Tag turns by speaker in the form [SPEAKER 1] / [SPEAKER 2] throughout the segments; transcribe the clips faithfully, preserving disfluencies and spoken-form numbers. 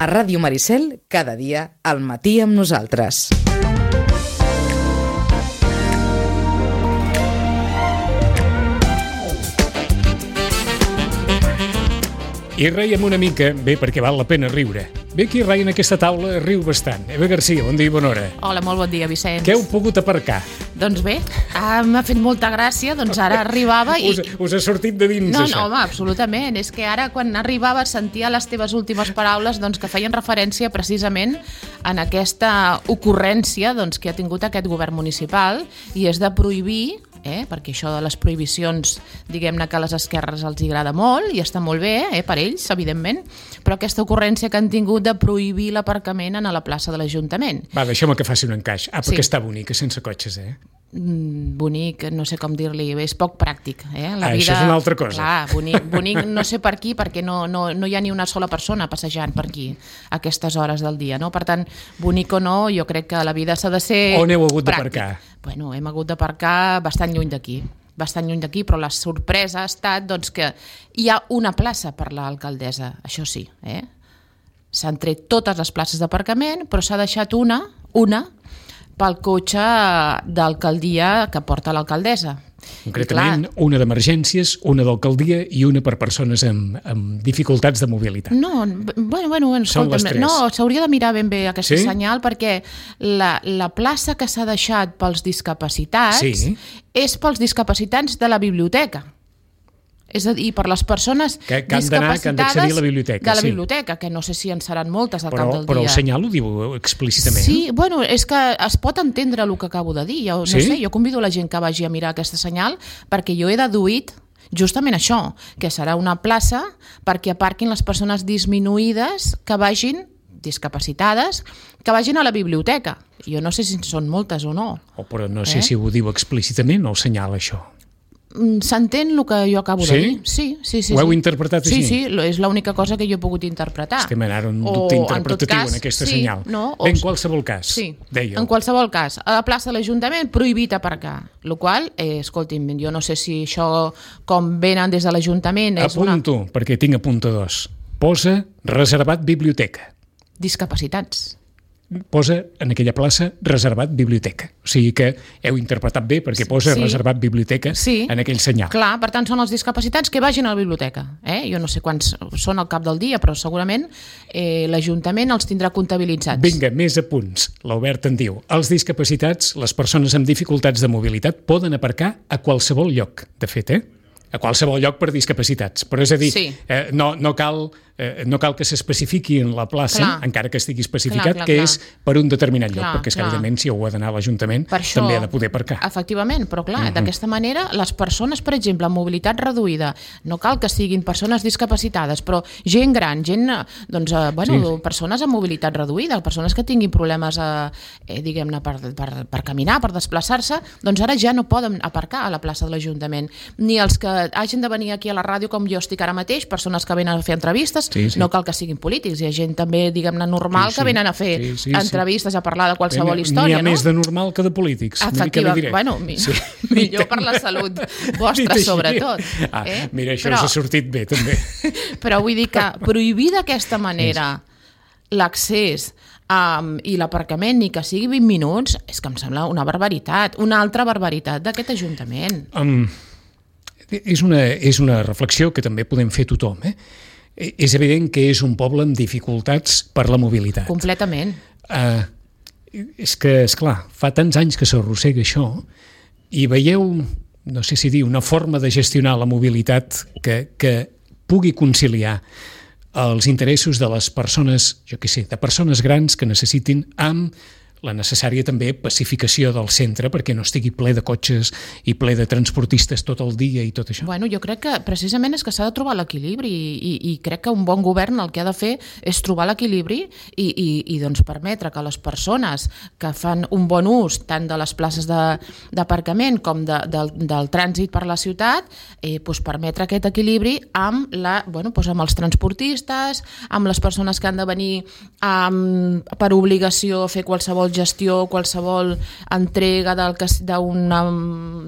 [SPEAKER 1] A Ràdio Maricel, cada dia, al matí amb nosaltres.
[SPEAKER 2] I reiem una mica, bé, perquè val la pena riure. Bé, qui reia en aquesta taula riu bastant. Eva Garcia, bon dia i bona hora.
[SPEAKER 3] Hola, molt bon dia, Vicenç.
[SPEAKER 2] Què heu pogut aparcar?
[SPEAKER 3] Doncs bé, ah, m'ha fet molta gràcia, doncs ara arribava i...
[SPEAKER 2] Us, us ha sortit de dins,
[SPEAKER 3] no,
[SPEAKER 2] això?
[SPEAKER 3] No, home, absolutament. És que ara, quan arribava, sentia les teves últimes paraules doncs, que feien referència precisament en aquesta ocurrència doncs, que ha tingut aquest govern municipal, i és de prohibir... Eh? perquè això de les prohibicions, diguem-ne que a les esquerres els agrada molt i està molt bé, eh? per ells, evidentment, però aquesta ocurrència que han tingut de prohibir l'aparcament a la plaça de l'Ajuntament.
[SPEAKER 2] Va, deixa'm que faci un encaix. Ah, perquè
[SPEAKER 3] Sí.
[SPEAKER 2] està bonica, sense cotxes, eh?
[SPEAKER 3] Mm, bonic, no sé com dir-li, és poc pràctic. Eh? La
[SPEAKER 2] Ah,
[SPEAKER 3] vida,
[SPEAKER 2] això és una altra cosa.
[SPEAKER 3] Clar, bonic, bonic no sé per qui, perquè no, no, no hi ha ni una sola persona passejant per aquí a aquestes hores del dia. No? Per tant, bonic o no, jo crec que la vida s'ha de ser
[SPEAKER 2] On heu hagut
[SPEAKER 3] pràctic.
[SPEAKER 2] d'aparcar?
[SPEAKER 3] Bueno, hem hagut d'aparcar bastant lluny d'aquí, bastant lluny d'aquí, però la sorpresa ha estat doncs, que hi ha una plaça per l'alcaldessa, això sí. Eh? S'han tret totes les places d'aparcament, però s'ha deixat una, una, pel cotxe d'alcaldia que porta l'alcaldessa.
[SPEAKER 2] Concretament, una d'emergències, una d'alcaldia i una per persones amb, amb dificultats de mobilitat.
[SPEAKER 3] No, bueno, bueno, bueno
[SPEAKER 2] Són les
[SPEAKER 3] escolta'm,
[SPEAKER 2] tres.
[SPEAKER 3] no, s'hauria de mirar ben bé aquesta
[SPEAKER 2] Sí?
[SPEAKER 3] senyal, perquè la, la plaça que s'ha deixat pels discapacitats
[SPEAKER 2] Sí.
[SPEAKER 3] és pels discapacitats de la biblioteca. És a dir, per les persones
[SPEAKER 2] Que- que han d'anar, que han d'accedir a la biblioteca,
[SPEAKER 3] de la
[SPEAKER 2] sí.
[SPEAKER 3] biblioteca, que no sé si en seran moltes al
[SPEAKER 2] Però,
[SPEAKER 3] cap del
[SPEAKER 2] però
[SPEAKER 3] dia.
[SPEAKER 2] el senyal ho diu explícitament.
[SPEAKER 3] Sí, bueno, és que es pot entendre el que acabo de dir. Jo, no
[SPEAKER 2] Sí?
[SPEAKER 3] sé, jo convido la gent que vagi a mirar aquesta senyal perquè jo he deduït justament això, que serà una plaça perquè aparquin les persones disminuïdes que vagin discapacitades, que vagin a la biblioteca. Jo no sé si són moltes o no.
[SPEAKER 2] O, però no sé
[SPEAKER 3] Eh?
[SPEAKER 2] si ho diu explícitament o el senyal, això.
[SPEAKER 3] Mm, S'entén el que jo acabo
[SPEAKER 2] Sí?
[SPEAKER 3] de dir? Sí, sí, sí.
[SPEAKER 2] Ho heu
[SPEAKER 3] sí.
[SPEAKER 2] interpretat
[SPEAKER 3] Sí,
[SPEAKER 2] així?
[SPEAKER 3] sí, lo- és l'única cosa que jo he pogut interpretar.
[SPEAKER 2] Estem anant en un
[SPEAKER 3] O,
[SPEAKER 2] dubte
[SPEAKER 3] en
[SPEAKER 2] interpretatiu
[SPEAKER 3] tot cas,
[SPEAKER 2] en aquesta
[SPEAKER 3] sí,
[SPEAKER 2] senyal.
[SPEAKER 3] No, o,
[SPEAKER 2] Bé, en qualsevol cas,
[SPEAKER 3] Sí,
[SPEAKER 2] dèieu.
[SPEAKER 3] en qualsevol cas, a la plaça de l'Ajuntament prohibit aparcar, el qual, eh, escolti'm, jo no sé si això com venen des de l'Ajuntament és una...
[SPEAKER 2] Apunto, perquè tinc apuntadors. Posa reservat biblioteca.
[SPEAKER 3] Discapacitats.
[SPEAKER 2] Posa en aquella plaça reservat biblioteca. O sigui que heu interpretat bé perquè posa
[SPEAKER 3] Sí.
[SPEAKER 2] reservat biblioteca
[SPEAKER 3] Sí.
[SPEAKER 2] en aquell senyal.
[SPEAKER 3] Clar, per tant, són els discapacitats que vagin a la biblioteca. Eh? Jo no sé quants són al cap del dia, però segurament eh, l'Ajuntament els tindrà comptabilitzats.
[SPEAKER 2] Vinga, més apunts. L'Albert en diu: els discapacitats, les persones amb dificultats de mobilitat, poden aparcar a qualsevol lloc. De fet, eh? A qualsevol lloc per discapacitats. Però és a dir,
[SPEAKER 3] Sí.
[SPEAKER 2] eh, no, no, cal, eh, no cal que s'especifiqui en la plaça,
[SPEAKER 3] Clar.
[SPEAKER 2] encara que estigui especificat,
[SPEAKER 3] Clar, clar,
[SPEAKER 2] que
[SPEAKER 3] clar.
[SPEAKER 2] és per un determinat lloc,
[SPEAKER 3] Clar,
[SPEAKER 2] perquè és que,
[SPEAKER 3] clar.
[SPEAKER 2] evidentment, si ho ha d'anar a l'Ajuntament,
[SPEAKER 3] Per això,
[SPEAKER 2] també ha de poder aparcar.
[SPEAKER 3] Efectivament, però clar, uh-huh. d'aquesta manera les persones, per exemple, amb mobilitat reduïda, no cal que siguin persones discapacitades, però gent gran, gent, eh, doncs, eh, bueno,
[SPEAKER 2] Sí.
[SPEAKER 3] persones amb mobilitat reduïda, persones que tinguin problemes, eh, eh, diguem-ne, per, per, per caminar, per desplaçar-se, doncs ara ja no poden aparcar a la plaça de l'Ajuntament. Ni els que hagin de venir aquí a la ràdio, com jo estic ara mateix, persones que venen a fer entrevistes,
[SPEAKER 2] Sí, sí.
[SPEAKER 3] no cal que siguin polítics, hi ha gent també, diguem-ne, normal,
[SPEAKER 2] Sí, sí.
[SPEAKER 3] que venen a fer
[SPEAKER 2] Sí, sí, sí.
[SPEAKER 3] entrevistes, a parlar de qualsevol història,
[SPEAKER 2] N'hi ha
[SPEAKER 3] no?
[SPEAKER 2] més de normal que de polítics. Mira què li
[SPEAKER 3] Efectiva,
[SPEAKER 2] diré.
[SPEAKER 3] bueno, mi,
[SPEAKER 2] Sí.
[SPEAKER 3] millor per la salut
[SPEAKER 2] Dit
[SPEAKER 3] vostra,
[SPEAKER 2] així.
[SPEAKER 3] sobretot.
[SPEAKER 2] Ah,
[SPEAKER 3] eh?
[SPEAKER 2] mira, això
[SPEAKER 3] però,
[SPEAKER 2] us ha sortit bé, també.
[SPEAKER 3] però vull dir que prohibir d'aquesta manera l'accés um, i l'aparcament ni que sigui vint minuts, és que em sembla una barbaritat, una altra barbaritat d'aquest Ajuntament.
[SPEAKER 2] Um, és, una, és una reflexió que també podem fer tothom. Eh? És evident que és un poble amb dificultats per la mobilitat.
[SPEAKER 3] Completament.
[SPEAKER 2] Uh, és que, esclar, fa tants anys que s'arrossega això i veieu, no sé si dir, una forma de gestionar la mobilitat que, que pugui conciliar els interessos de les persones, jo què sé, de persones grans que necessitin amb la necessària també pacificació del centre perquè no estigui ple de cotxes i ple de transportistes tot el dia i tot això.
[SPEAKER 3] Bueno, jo crec que precisament és que s'ha de trobar l'equilibri i, i, i crec que un bon govern el que ha de fer és trobar l'equilibri i, i, i doncs permetre que les persones que fan un bon ús tant de les places d'aparcament com de, del, del trànsit per la ciutat, eh, doncs permetre aquest equilibri amb, la, bueno, doncs amb els transportistes, amb les persones que han de venir amb, per obligació a fer qualsevol gestió, qualsevol entrega del que, una,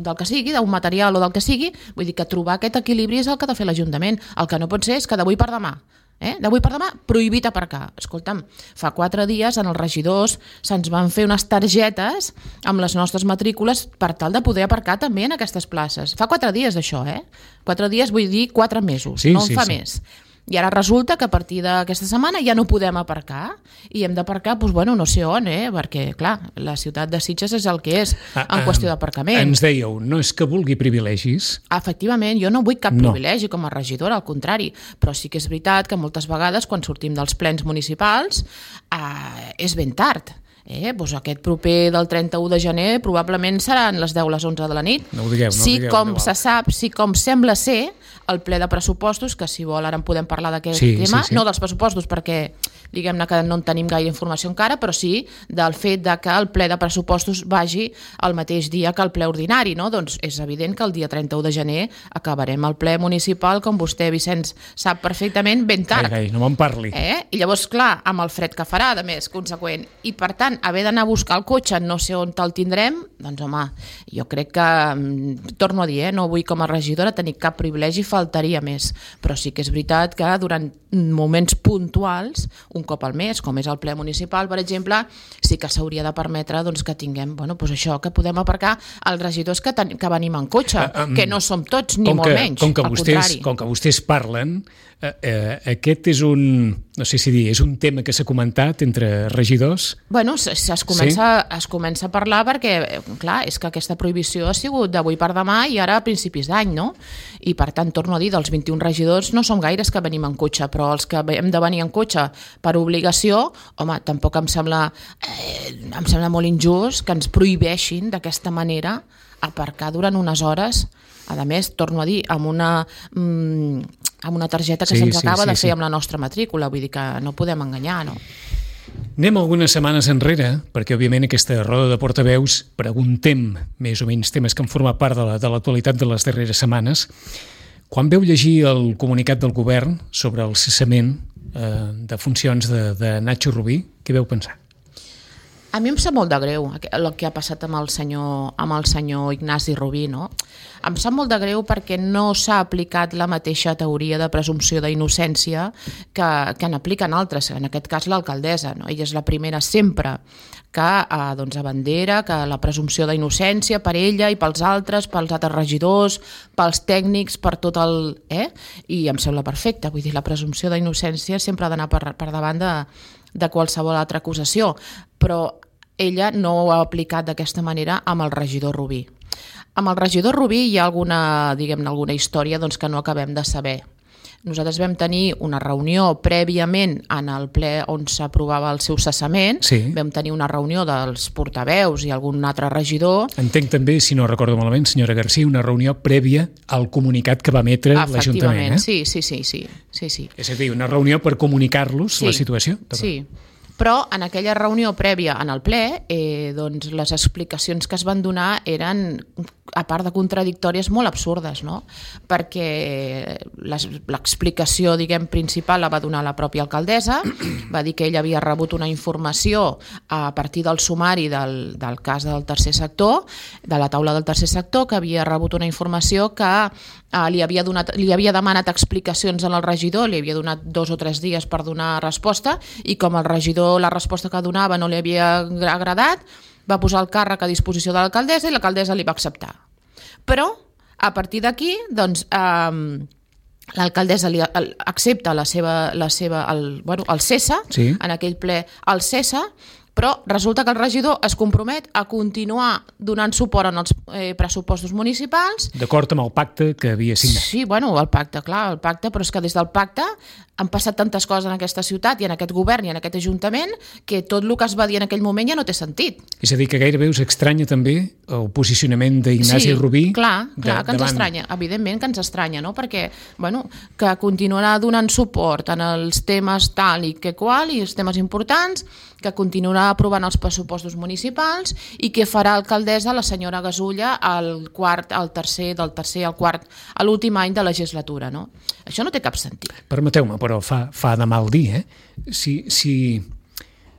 [SPEAKER 3] del que sigui, d'un material o del que sigui, vull dir que trobar aquest equilibri és el que ha de fer l'Ajuntament. El que no pot ser és que d'avui per demà Eh? D'avui per demà, prohibit aparcar. Escolta'm, fa quatre dies en els regidors se'ns van fer unes targetes amb les nostres matrícules per tal de poder aparcar també en aquestes places. Fa quatre dies d'això, eh? Quatre dies vull dir quatre mesos,
[SPEAKER 2] sí,
[SPEAKER 3] no en
[SPEAKER 2] sí,
[SPEAKER 3] fa
[SPEAKER 2] sí.
[SPEAKER 3] més. I ara resulta que a partir d'aquesta setmana ja no podem aparcar i hem d'aparcar, doncs, bueno, no sé on, eh? Perquè, clar, la ciutat de Sitges és el que és en
[SPEAKER 2] ah,
[SPEAKER 3] qüestió d'aparcament.
[SPEAKER 2] Ens dèieu, no és que vulgui privilegis.
[SPEAKER 3] Efectivament, jo no vull cap
[SPEAKER 2] No.
[SPEAKER 3] privilegi com a regidora, al contrari, però sí que és veritat que moltes vegades quan sortim dels plens municipals eh, és ben tard. Eh, doncs aquest proper del trenta-u de gener probablement seran les deu, les onze de la nit.
[SPEAKER 2] No ho digueu, no ho
[SPEAKER 3] sí,
[SPEAKER 2] digueu,
[SPEAKER 3] com
[SPEAKER 2] no
[SPEAKER 3] se sap, sí, com sembla ser el ple de pressupostos, que si vol ara en podem parlar d'aquest
[SPEAKER 2] sí,
[SPEAKER 3] tema,
[SPEAKER 2] sí, sí.
[SPEAKER 3] no dels pressupostos perquè diguem-ne que no en tenim gaire informació encara, però sí del fet de que el ple de pressupostos vagi el mateix dia que el ple ordinari, no? Doncs és evident que el dia trenta-u de gener acabarem el ple municipal, com vostè, Vicenç, sap perfectament, ben tard.
[SPEAKER 2] Ai, ai, no me'n parli.
[SPEAKER 3] Eh? I llavors, clar, amb el fred que farà, de més, conseqüent, i per tant, haver d'anar a buscar el cotxe, no sé on te'l tindrem, doncs home, jo crec que, torno a dir, eh, no vull com a regidora tenir cap privilegi, faltaria més, però sí que és veritat que durant moments puntuals, un cop al mes, com és el ple municipal, per exemple, sí que s'hauria de permetre doncs, que tinguem, bueno, doncs això, que podem aparcar els regidors que, ten, que venim en cotxe, uh, um, que no som tots, ni
[SPEAKER 2] com
[SPEAKER 3] molt
[SPEAKER 2] que,
[SPEAKER 3] menys,
[SPEAKER 2] com que
[SPEAKER 3] al
[SPEAKER 2] vostès,
[SPEAKER 3] contrari.
[SPEAKER 2] Com que vostès parlen, eh, eh, aquest és un, no sé si dir, és un tema que s'ha comentat entre regidors?
[SPEAKER 3] Bueno, es, es, comença, sí? es comença a parlar perquè, clar, és que aquesta prohibició ha sigut d'avui per demà i ara a principis d'any, no? I per tant, torno a dir, dels vint-i-un regidors no som gaires que venim en cotxe, però els que hem de venir en cotxe per obligació, home, tampoc em sembla, eh, em sembla molt injust que ens prohibeixin d'aquesta manera aparcar durant unes hores, a més, torno a dir, amb una, mm, amb una targeta que
[SPEAKER 2] sí,
[SPEAKER 3] se'ns
[SPEAKER 2] sí,
[SPEAKER 3] acaba
[SPEAKER 2] sí,
[SPEAKER 3] de fer
[SPEAKER 2] sí.
[SPEAKER 3] amb la nostra matrícula, vull dir que no podem enganyar, no?
[SPEAKER 2] Anem algunes setmanes enrere, perquè òbviament aquesta roda de portaveus preguntem més o menys temes que han format part de la, de l'actualitat de les darreres setmanes. Quan veu llegir el comunicat del govern sobre el cessament eh, de funcions de, de Nacho Rubí, què veu pensar?
[SPEAKER 3] A mi em sap molt de greu el que ha passat amb el senyor, amb el senyor Ignasi Rubí, no? Em sap molt de greu perquè no s'ha aplicat la mateixa teoria de presumpció d'innocència que, que en apliquen altres, en aquest cas l'alcaldessa, no? Ella és la primera sempre que eh, doncs, abandera que la presumpció d'innocència per ella i pels altres, pels altres regidors, pels tècnics, per tot el... Eh? I em sembla perfecte, vull dir, la presumpció d'innocència sempre ha d'anar per, per davant de, de qualsevol altra acusació, però ella no ho ha aplicat d'aquesta manera amb el regidor Rubí. Amb el regidor Rubí hi ha alguna, diguem-ne, alguna història doncs, que no acabem de saber. Nosaltres vam tenir una reunió prèviament en el ple on s'aprovava el seu cessament,
[SPEAKER 2] sí.
[SPEAKER 3] Vam tenir una reunió dels portaveus i algun altre regidor.
[SPEAKER 2] Entenc també, si no recordo malament, senyora García, una reunió prèvia al comunicat que va emetre l'Ajuntament.
[SPEAKER 3] Eh? Sí, sí, sí, sí, sí, sí.
[SPEAKER 2] És a dir, una reunió per comunicar-los
[SPEAKER 3] sí,
[SPEAKER 2] la situació?
[SPEAKER 3] Sí, però en aquella reunió prèvia en el ple, eh, doncs les explicacions que es van donar eren, a part de contradictòries, molt absurdes, no? Perquè l'explicació, diguem, principal la va donar la pròpia alcaldessa, va dir que ella havia rebut una informació a partir del sumari del, del cas del tercer sector, de la taula del tercer sector, que havia rebut una informació que eh, li, havia donat, li havia demanat explicacions al regidor, li havia donat dos o tres dies per donar resposta, i com el regidor la resposta que donava no li havia agradat, va posar el càrrec a disposició de l'alcaldessa i l'alcaldessa li va acceptar. Però, a partir d'aquí, doncs, eh, l'alcaldessa li accepta la seva, la seva, el, bueno, el cessa,
[SPEAKER 2] sí.
[SPEAKER 3] En aquell ple el cessa, però resulta que el regidor es compromet a continuar donant suport en els eh, pressupostos municipals.
[SPEAKER 2] D'acord amb el pacte que havia signat.
[SPEAKER 3] Sí, bueno, el pacte, clar, el pacte, però és que des del pacte han passat tantes coses en aquesta ciutat i en aquest govern i en aquest ajuntament que tot el que es va dir en aquell moment ja no té sentit.
[SPEAKER 2] És a dir, que gairebé us estranya també el posicionament d'Ignasi
[SPEAKER 3] sí,
[SPEAKER 2] Rubí?
[SPEAKER 3] Sí, clar, clar
[SPEAKER 2] de,
[SPEAKER 3] que ens
[SPEAKER 2] davant...
[SPEAKER 3] estranya, evidentment que ens estranya, no? Perquè, bueno, que continuarà donant suport en els temes tal i que qual i els temes importants, que continuarà aprovant els pressupostos municipals i que farà alcaldessa la senyora Gasulla al quart, al tercer, del tercer al quart, a l'últim any de legislatura, no? Això no té cap sentit.
[SPEAKER 2] Permeteu-me, però fa, fa de mal dir, eh? Si, si,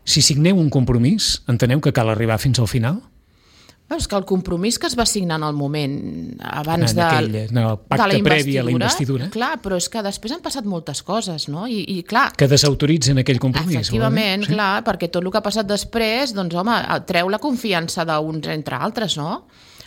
[SPEAKER 2] si signeu un compromís, enteneu que cal arribar fins al final?
[SPEAKER 3] Bueno, és que el compromís que es va signar en el moment abans
[SPEAKER 2] en
[SPEAKER 3] de,
[SPEAKER 2] aquell, en el pacte
[SPEAKER 3] de la
[SPEAKER 2] previ a la investidura,
[SPEAKER 3] clar, però és que després han passat moltes coses, no? I, i clar,
[SPEAKER 2] que desautoritzen aquell compromís.
[SPEAKER 3] efectivament,
[SPEAKER 2] Sí.
[SPEAKER 3] clar, perquè tot el que ha passat després, doncs home, treu la confiança d'uns entre altres, no?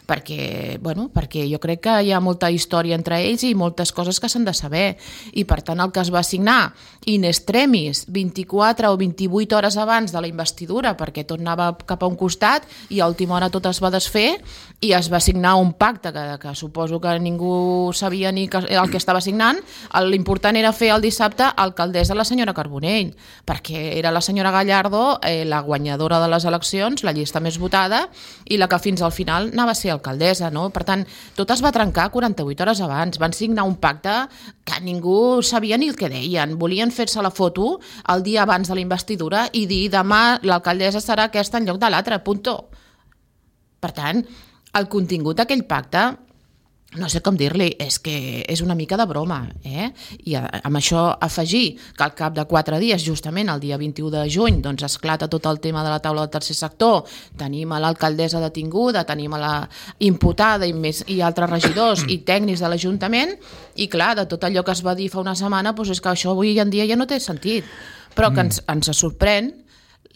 [SPEAKER 3] Perquè, bueno, perquè jo crec que hi ha molta història entre ells i moltes coses que s'han de saber. I per tant el que es va signar in extremis vint-i-quatre o vint-i-vuit hores abans de la investidura, perquè tot anava cap a un costat i a última hora tot es va desfer i es va signar un pacte que, que suposo que ningú sabia ni que, el que estava signant. L'important era fer el dissabte alcaldessa la senyora Carbonell, perquè era la senyora Gallardo eh, la guanyadora de les eleccions, la llista més votada i la que fins al final anava a ser alcaldessa, no? Per tant, tot es va trencar quaranta-vuit hores abans. Van signar un pacte que ningú sabia ni el que deien. Volien fer-se la foto el dia abans de la investidura i dir demà l'alcaldessa serà aquesta en lloc de l'altra, punto. Per tant, el contingut d'aquell pacte, no sé com dir-li, és que és una mica de broma, eh? I amb això afegir que al cap de quatre dies, justament el dia vint-i-u de juny, doncs esclata tot el tema de la taula del tercer sector, tenim a l'alcaldessa detinguda, tenim a la imputada i, més, i altres regidors i tècnics de l'Ajuntament, i clar, de tot allò que es va dir fa una setmana, doncs és que això avui en dia ja no té sentit. Però que ens, ens sorprèn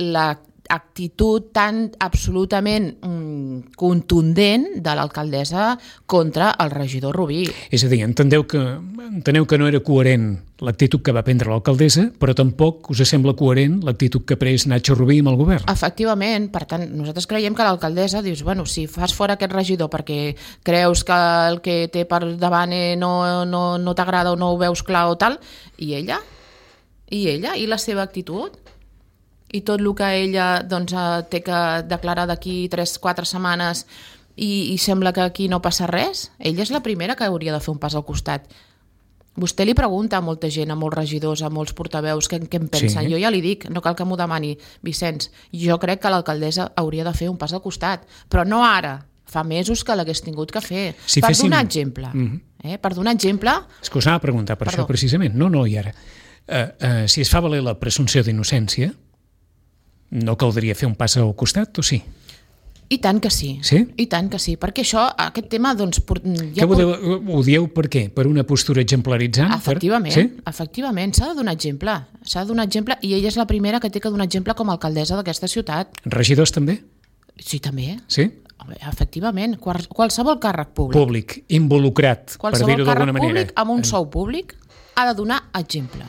[SPEAKER 3] la actitud tan absolutament mm, contundent de l'alcaldessa contra el regidor Rubí.
[SPEAKER 2] És a dir, entendeu que, enteneu que no era coherent l'actitud que va prendre l'alcaldessa, però tampoc us sembla coherent l'actitud que ha pres Nacho Rubí amb el govern.
[SPEAKER 3] Efectivament, per tant, nosaltres creiem que l'alcaldessa dius, bueno, si fas fora aquest regidor perquè creus que el que té per davant no, no, no t'agrada o no ho veus clar o tal, i ella? I ella? I la seva actitud? I tot el que ella doncs, té que declarar d'aquí tres quatre setmanes i, i sembla que aquí no passa res, ella és la primera que hauria de fer un pas al costat. Vostè li pregunta a molta gent, a molts regidors, a molts portaveus, què, què en pensen. Sí. Jo ja li dic, no cal que m'ho demani, Vicenç, jo crec que l'alcaldessa hauria de fer un pas al costat, però no ara, fa mesos que l'hagués tingut que fer. Si per féssim... donar exemple. Mm-hmm. eh? Per donar exemple...
[SPEAKER 2] És que us anava a preguntar per Perdó. Això precisament. No, no, i ara. Uh, uh, si es fa valer la presumpció d'innocència, no caldria fer un pas al costat, o sí?
[SPEAKER 3] I tant que sí.
[SPEAKER 2] Sí?
[SPEAKER 3] I tant que sí, perquè això, aquest tema, doncs... Ja
[SPEAKER 2] que ho, deu, ho dieu per què? Per una postura exemplaritzant?
[SPEAKER 3] Efectivament,
[SPEAKER 2] per... sí?
[SPEAKER 3] efectivament, s'ha de donar exemple. S'ha de donar exemple, i ella és la primera que té que donar exemple com a alcaldessa d'aquesta ciutat.
[SPEAKER 2] Regidors també?
[SPEAKER 3] Sí, també.
[SPEAKER 2] Sí?
[SPEAKER 3] Efectivament, qualsevol càrrec públic.
[SPEAKER 2] Públic, involucrat,
[SPEAKER 3] qualsevol
[SPEAKER 2] per dir-ho d'alguna manera.
[SPEAKER 3] Qualsevol càrrec públic amb un sou públic ha de donar exemple.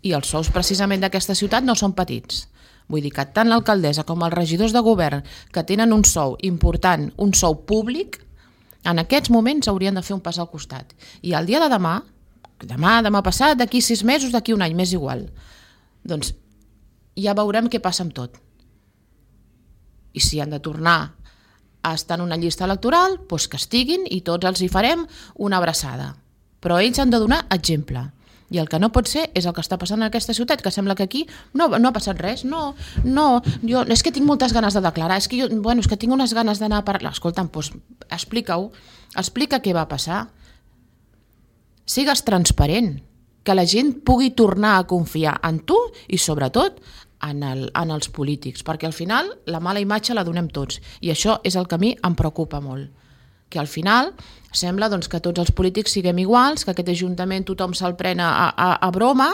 [SPEAKER 3] I els sous precisament d'aquesta ciutat no són petits. Vull dir que tant l'alcaldessa com els regidors de govern que tenen un sou important, un sou públic, en aquests moments haurien de fer un pas al costat. I el dia de demà, demà, demà passat, d'aquí sis mesos, d'aquí un any, m'és igual, doncs ja veurem què passa amb tot. I si han de tornar a estar en una llista electoral, doncs que estiguin i tots els hi farem una abraçada. Però ells han de donar exemple. I el que no pot ser és el que està passant en aquesta ciutat, que sembla que aquí no, no ha passat res, no, no, jo, és que tinc moltes ganes de declarar, és que jo, bueno, és que tinc unes ganes d'anar a parlar. Escolta'm, doncs explica-ho, explica què va passar. Sigues transparent, que la gent pugui tornar a confiar en tu i sobretot en, el, en els polítics, perquè al final la mala imatge la donem tots i això és el que a mi em preocupa molt. Que al final sembla doncs, que tots els polítics siguem iguals, que aquest ajuntament tothom se'l pren a, a, a broma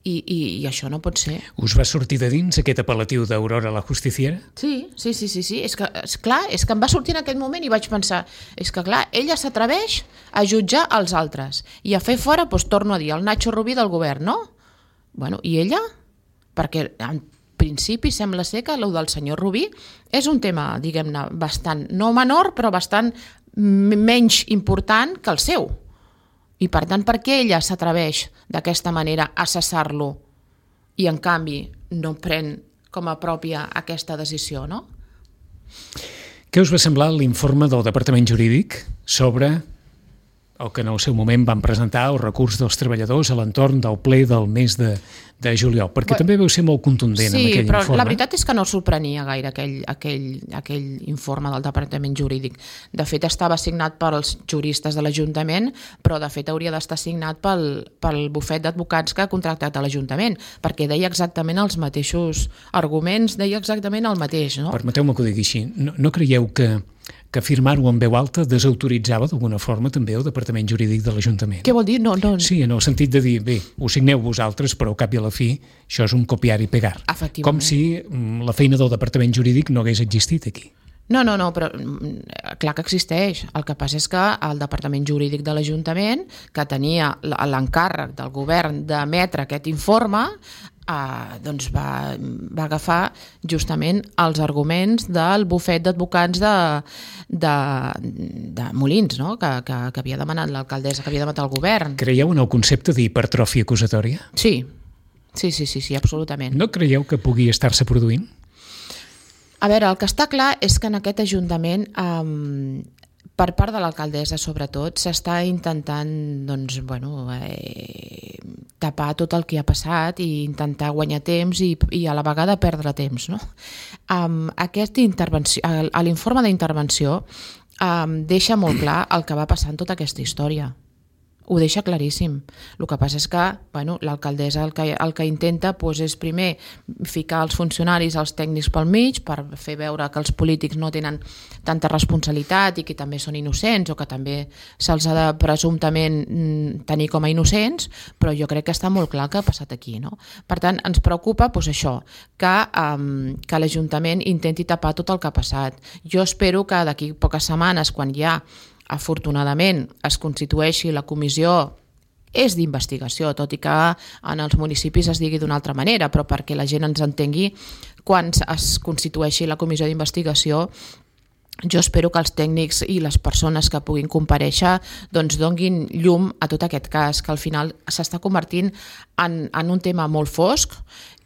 [SPEAKER 3] i, i, i això no pot ser.
[SPEAKER 2] Us va sortir de dins aquest apel·latiu d'Aurora la Justiciera?
[SPEAKER 3] Sí, sí, sí, sí, sí. És que, és clar, és que em va sortir en aquest moment i vaig pensar, és que clar, ella s'atreveix a jutjar els altres i a fer fora, doncs torno a dir, el Nacho Rubí del govern, no? Bueno, i ella? Perquè en principi sembla ser que el del senyor Rubí és un tema, diguem-ne, bastant, no menor, però bastant menys important que el seu. I per tant, per què ella s'atreveix d'aquesta manera a cessar-lo i en canvi no pren com a pròpia aquesta decisió, no?
[SPEAKER 2] Què us va semblar l'informe del Departament Jurídic sobre o que en el seu moment van presentar el recurs dels treballadors a l'entorn del ple del mes de, de juliol, perquè Bé, també veu ser molt contundent
[SPEAKER 3] sí,
[SPEAKER 2] en aquell
[SPEAKER 3] informe. Sí, però
[SPEAKER 2] informe.
[SPEAKER 3] la veritat és que no sorprenia gaire aquell, aquell, aquell informe del Departament Jurídic. De fet, estava signat pels juristes de l'Ajuntament, però de fet hauria d'estar signat pel, pel bufet d'advocats que ha contractat a l'Ajuntament, perquè deia exactament els mateixos arguments, deia exactament el mateix. No?
[SPEAKER 2] Permeteu-me que ho digui així. No, no creieu que que firmar-ho en veu alta desautoritzava d'alguna forma també el Departament Jurídic de l'Ajuntament?
[SPEAKER 3] Què vol dir? No, no.
[SPEAKER 2] Sí, en el sentit de dir, bé, ho signeu vosaltres, però al cap i a la fi això és un copiar i pegar. Com si la feina del Departament Jurídic no hagués existit aquí.
[SPEAKER 3] No, no, no, però clar que existeix. El que passa és que el Departament Jurídic de l'Ajuntament, que tenia l'encàrrec del govern d'emetre aquest informe, eh, doncs va, va agafar justament els arguments del bufet d'advocats de, de, de Molins, no? que, que, que havia demanat l'alcaldessa, que havia demanat el govern.
[SPEAKER 2] Creieu en el concepte d'hipertròfia acusatòria?
[SPEAKER 3] Sí, sí, sí, sí, sí, absolutament.
[SPEAKER 2] No creieu que pugui estar-se produint?
[SPEAKER 3] A veure, el que està clar és que en aquest Ajuntament, eh, per part de l'alcaldessa sobretot, s'està intentant doncs, bueno, eh, tapar tot el que ha passat i intentar guanyar temps i, i a la vegada perdre temps. No? Um, aquest intervenció, l'informe d'intervenció um, deixa molt clar el que va passar en tota aquesta història. Ho deixa claríssim. El que passa és que bueno, l'alcaldessa el que, el que intenta doncs, és primer ficar els funcionaris, els tècnics pel mig per fer veure que els polítics no tenen tanta responsabilitat i que també són innocents o que també se'ls ha de presumptament tenir com a innocents, però jo crec que està molt clar el que ha passat aquí. No? Per tant, ens preocupa doncs, això, que, um, que l'Ajuntament intenti tapar tot el que ha passat. Jo espero que d'aquí poques setmanes, quan ja afortunadament es constitueixi la comissió, és d'investigació, tot i que en els municipis es digui d'una altra manera, però perquè la gent ens entengui, quan es constitueixi la comissió d'investigació, jo espero que els tècnics i les persones que puguin comparèixer doncs donguin llum a tot aquest cas, que al final s'està convertint en, en un tema molt fosc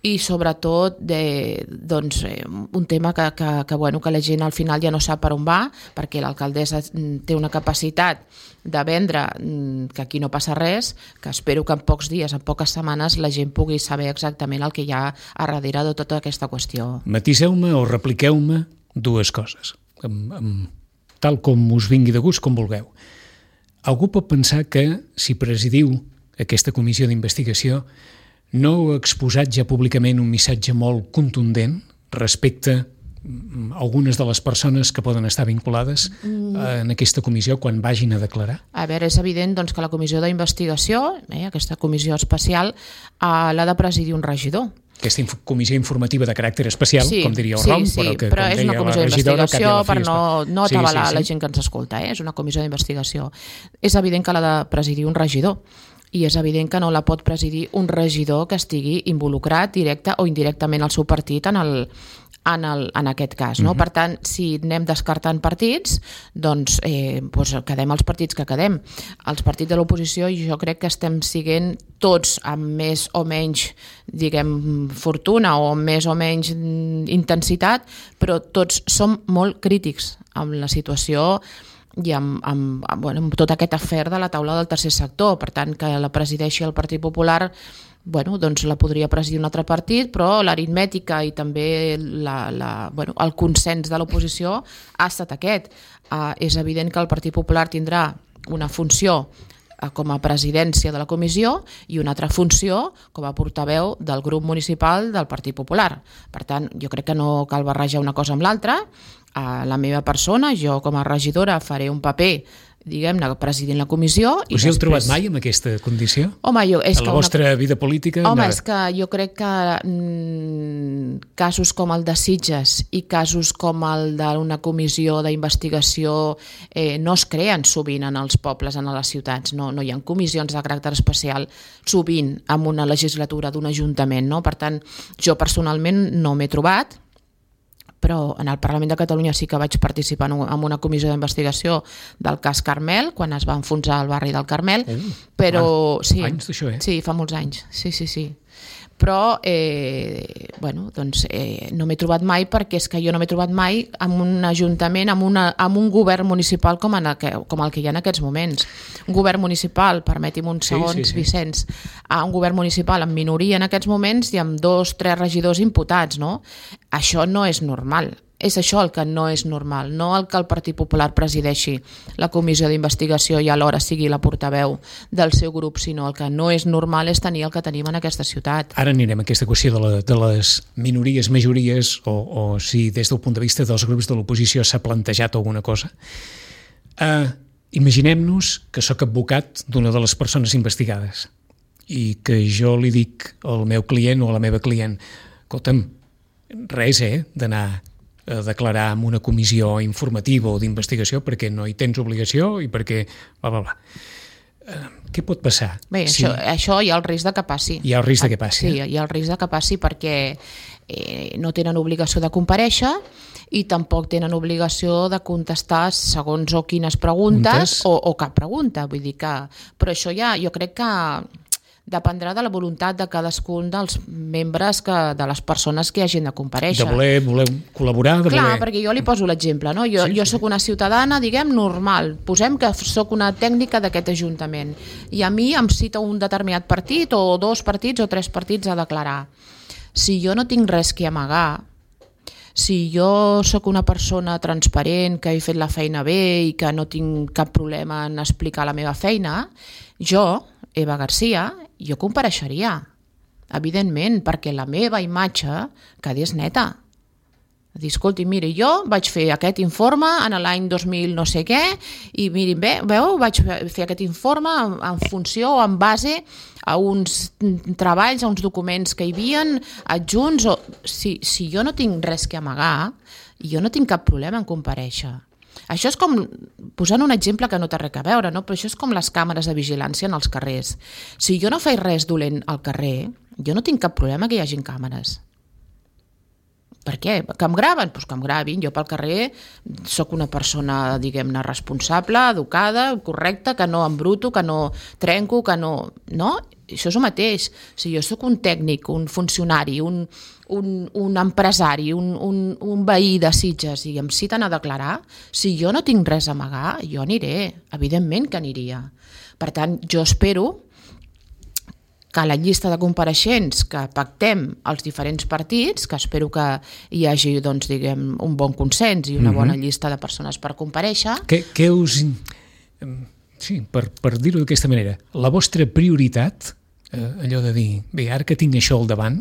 [SPEAKER 3] i sobretot de, doncs, un tema que, que, que, bueno, que la gent al final ja no sap per on va, perquè l'alcaldessa té una capacitat de vendre que aquí no passa res, que espero que en pocs dies, en poques setmanes, la gent pugui saber exactament el que hi ha a darrere de tota aquesta qüestió.
[SPEAKER 2] Matiseu-me o repliqueu-me dues coses, amb, amb, tal com us vingui de gust, com vulgueu. Algú pot pensar que si presidiu aquesta comissió d'investigació no heu exposat ja públicament un missatge molt contundent respecte a algunes de les persones que poden estar vinculades en aquesta comissió quan vagin a declarar?
[SPEAKER 3] A veure, és evident doncs, que la comissió d'investigació, eh, aquesta comissió especial, eh, l'ha de presidir un regidor.
[SPEAKER 2] Aquesta inf- comissió informativa de caràcter especial,
[SPEAKER 3] sí,
[SPEAKER 2] com diria el
[SPEAKER 3] sí,
[SPEAKER 2] Rom,
[SPEAKER 3] sí,
[SPEAKER 2] però que,
[SPEAKER 3] però
[SPEAKER 2] com
[SPEAKER 3] és
[SPEAKER 2] deia
[SPEAKER 3] una comissió
[SPEAKER 2] la regidora,
[SPEAKER 3] d'investigació per no, no
[SPEAKER 2] sí,
[SPEAKER 3] atabalar
[SPEAKER 2] sí, sí.
[SPEAKER 3] la gent que ens escolta, eh? És una comissió d'investigació. És evident que l'ha de presidir un regidor, i és evident que no la pot presidir un regidor que estigui involucrat directe o indirectament al seu partit en, el, en, el, en aquest cas. No? Uh-huh. Per tant, si anem descartant partits, doncs, eh, doncs quedem els partits que quedem. Els partits de l'oposició jo crec que estem siguent tots amb més o menys diguem, fortuna o amb més o menys intensitat, però tots som molt crítics amb la situació i amb, amb, amb, bueno, amb tot aquest afer de la taula del tercer sector. Per tant, que la presideixi el Partit Popular, bueno, doncs la podria presidir un altre partit, però l'aritmètica i també la, la, bueno, el consens de l'oposició ha estat aquest. Uh, és evident que el Partit Popular tindrà una funció uh, com a presidència de la comissió i una altra funció com a portaveu del grup municipal del Partit Popular. Per tant, jo crec que no cal barrejar una cosa amb l'altra. A la meva persona, jo com a regidora faré un paper, diguem-ne, presidint la comissió.
[SPEAKER 2] Us hi heu trobat mai en aquesta condició?
[SPEAKER 3] Home, jo, és
[SPEAKER 2] a la
[SPEAKER 3] que
[SPEAKER 2] vostra
[SPEAKER 3] una...
[SPEAKER 2] vida política?
[SPEAKER 3] Home,
[SPEAKER 2] no...
[SPEAKER 3] és que jo crec que mm, casos com el de Sitges i casos com el d'una comissió d'investigació eh, no es creen sovint en els pobles, en les ciutats. No, no hi ha comissions de caràcter especial sovint en una legislatura d'un ajuntament. No? Per tant, jo personalment no m'he trobat, però en el Parlament de Catalunya sí que vaig participar en una comissió d'investigació del cas Carmel, quan es va enfonsar el barri del Carmel, uh, però...
[SPEAKER 2] Ah,
[SPEAKER 3] sí,
[SPEAKER 2] anys d'això, eh?
[SPEAKER 3] Sí, fa molts anys, sí, sí, sí. Però, eh, bueno, doncs eh, no m'he trobat mai, perquè és que jo no m'he trobat mai en un ajuntament, en, una, en un govern municipal com, en el que, com el que hi ha en aquests moments. Un govern municipal, permeti'm uns segons, sí, sí, sí. Vicenç, un govern municipal amb minoria en aquests moments i amb dos, tres regidors imputats, no? Això no és normal. És això el que no és normal, no el que el Partit Popular presideixi la comissió d'investigació i alhora sigui la portaveu del seu grup, sinó el que no és normal és tenir el que tenim en aquesta ciutat.
[SPEAKER 2] Ara anirem a aquesta qüestió de, la, de les minories, majories, o, o si des del punt de vista dels grups de l'oposició s'ha plantejat alguna cosa. Uh, Imaginem-nos que sóc advocat d'una de les persones investigades i que jo li dic al meu client o a la meva client: escolta'm, res, eh, d'anar a declarar en una comissió informativa o d'investigació perquè no hi tens obligació i perquè bla, bla, bla. Uh, què pot passar?
[SPEAKER 3] Bé,
[SPEAKER 2] si...
[SPEAKER 3] això, això hi ha el risc de que passi.
[SPEAKER 2] Hi ha el risc de que passi.
[SPEAKER 3] Sí, hi ha el risc de que passi perquè eh, no tenen obligació de comparèixer i tampoc tenen obligació de contestar segons o quines preguntes o, o cap pregunta. Vull dir que... Però això ja, jo crec que dependrà de la voluntat de cadascun dels membres, que, de les persones que hagin de comparèixer.
[SPEAKER 2] De voler, voler col·laborar, de
[SPEAKER 3] Clar,
[SPEAKER 2] voler...
[SPEAKER 3] perquè jo li poso l'exemple, no? Jo, sí, jo sóc una ciutadana, diguem, normal. Posem que sóc una tècnica d'aquest ajuntament i a mi em cita un determinat partit o dos partits o tres partits a declarar. Si jo no tinc res que amagar, si jo sóc una persona transparent, que he fet la feina bé i que no tinc cap problema en explicar la meva feina, jo, Eva Garcia, jo compareixeria, evidentment, perquè la meva imatge quedés neta. Dir, escolti, miri, jo vaig fer aquest informe en l'any dos mil no sé què i miri, bé, veu, vaig fer aquest informe en, en funció o en base a uns treballs, a uns documents que hi havien adjunts. O... Si, si jo no tinc res que amagar, jo no tinc cap problema en comparèixer. Això és com, posant un exemple que no té res a veure, no? Però això és com les càmeres de vigilància en els carrers. Si jo no faig res dolent al carrer, jo no tinc cap problema que hi hagin càmeres. Per què? Que em graven? Doncs que em gravin. Jo pel carrer sóc una persona, diguem-ne, responsable, educada, correcta, que no embruto, que no trenco, que no... No? Això és el mateix. Si jo sóc un tècnic, un funcionari, un, un, un empresari, un, un, un veí de Sitges i em citen a declarar, si jo no tinc res a amagar, jo aniré. Evidentment que aniria. Per tant, jo espero que la llista de compareixents que pactem els diferents partits, que espero que hi hagi, doncs, diguem, un bon consens i una bona llista de persones per comparèixer.
[SPEAKER 2] Què, què us... Sí, per, per dir-ho d'aquesta manera, la vostra prioritat, eh, allò de dir, bé, ara que tinc això al davant,